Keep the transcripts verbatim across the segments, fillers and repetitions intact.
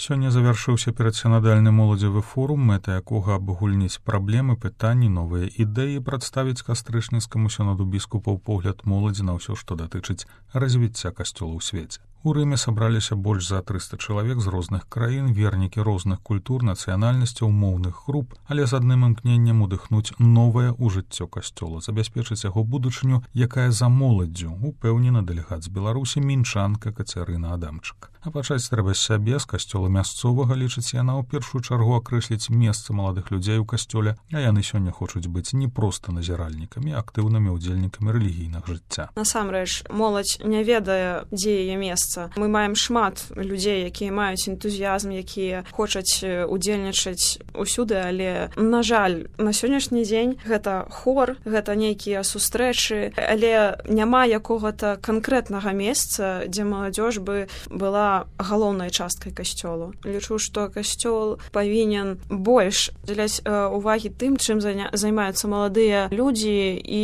Сёння завяршыўся перадсінадальны моладзевы форум, мэта якога абагульніць праблемы, пытанні, новыя ідэі, прадставіць кастрычніцкаму сіноду біскупаў погляд моладзі на ўсё, што датычыць развіцця касцёла ў свеце. У Рыме сабраліся больш за трыста чалавек з розных краін, вернікі розных культур, нацыянальнасцяў, моўных груп, але з адным імкненнем удыхнуць новае ў жыццё касцёла, забяспечыць яго будучыню, якая за моладдзю, упэўнена дэлегат з Беларусі мінчанка Кацярына Адамчык. А пачаць трэба з сябе, з касцёла мясцовага, лічыць яна ў першую чаргу акрэсліць месца маладых людзей у касцёле, а яны сёння хочуць быць не проста назіральнікамі, а актыўнымі ўдзельнікамі рэлігійнага жыцця. Насамрэч, моладзь не ведае, дзе яе месца. Мы маем шмат людзей, якія маюць энтузіязм, якія хочуць удзельнічаць усюды, але, на жаль, на сённяшні дзень гэта хор, гэта нейкія сустрэчы, але няма якога-то канкрэтнага месца, дзе маладзёж бы была галоўнай часткай касцёлу. Лічу, што касцёл павінен больш дзеляць увагі тым, чым займаюцца маладыя людзі, і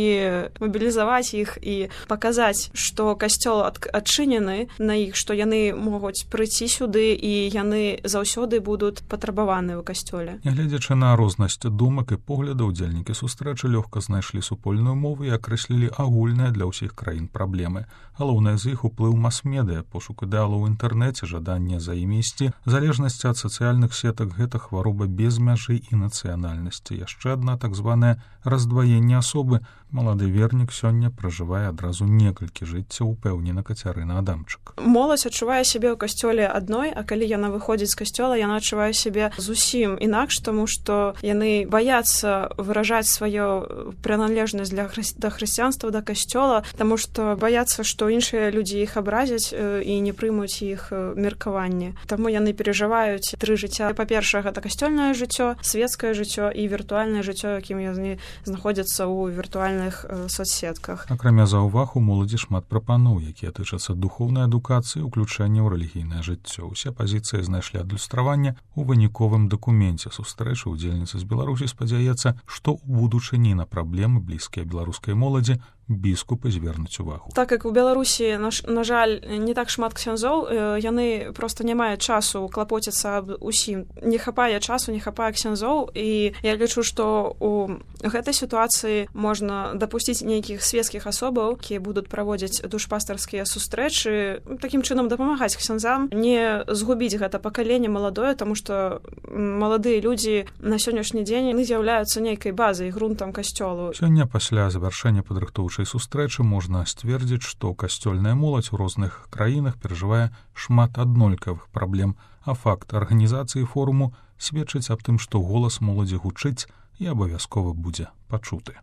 мабілізаваць іх і паказаць, што касцёл адчынены на іх, што яны могуць прыйсці сюды і яны заўсёды будуць патрабаваны ў касцёле. Нягледзячы на рознасць думак і поглядаў, удзельнікі сустрэчы лёгка знайшлі супольную мову і акрэслілі агульныя для ўсіх краін праблемы. Галоўнае з іх уплыў мас-медыя, пошук ідэалаў у інтэрнэце, жаданне за імі ісці, залежнасць ад сацыяльных сетак — гэта хвароба без мяжы і нацыянальнасці. Яшчэ адна так званае раздваенне асобы. Малады вернік сёння пражывае адразу некалькі жыццяў, упэўнена Кацярына Адамчык. Моладзь адчувае сябе ў касцёле адной, а калі яна выходзіць з касцёла, яна адчувае сябе зусім інакш, таму што яны баяцца выражаць сваю прыналежнасць для хры... да хрысціянства, да касцёла, таму што баяцца, што іншыя людзі іх абразяць і не прымуць іх меркаванне. Таму яны перажываюць тры жыцця. Па-першае, гэта касцёльнае жыццё, свецкае жыццё і віртуальнае жыццё, якім яны знаходзяцца ў віртуальнай соцсетках. Акрамя заўваг, у моладзі шмат прапаноў, якія тычацца духоўнай адукацыі, уключэння ў рэлігійнае жыццё. Усе пазіцыі знайшлі адлюстраванне у выніковым дакуменце сустрэчы. Удзельніца з Беларусі спадзяецца, што ў будучыні на праблемы, блізкія беларускай моладзі, біскупы звернуць увагу. Так як у Беларусі, на, на жаль, не так шмат ксяндзоў, яны проста не маюць часу клапоціцца аб усім. Не хапае часу, не хапае ксяндзоў, і я лічу, што у гэтай сітуацыі можна дапусціць нейкіх свецкіх асобаў, якія будуць праводзіць душпастарскія сустрэчы, такім чынам дапамагаць ксяндзам, не згубіць гэта пакаленне маладое, таму што маладыя людзі на сённяшні дзень яны з'яўляюцца нейкай базай, грунтам касцёлу. Сёння пасля завяршэння падрыхтоўчай сустрэчы можна сцвердзіць, што касцёльная моладзь у розных краінах перажывае шмат аднолькавых праблем, а факт арганізацыі форуму сведчыць аб тым, што голас моладзі гучыць і абавязкова будзе пачуты.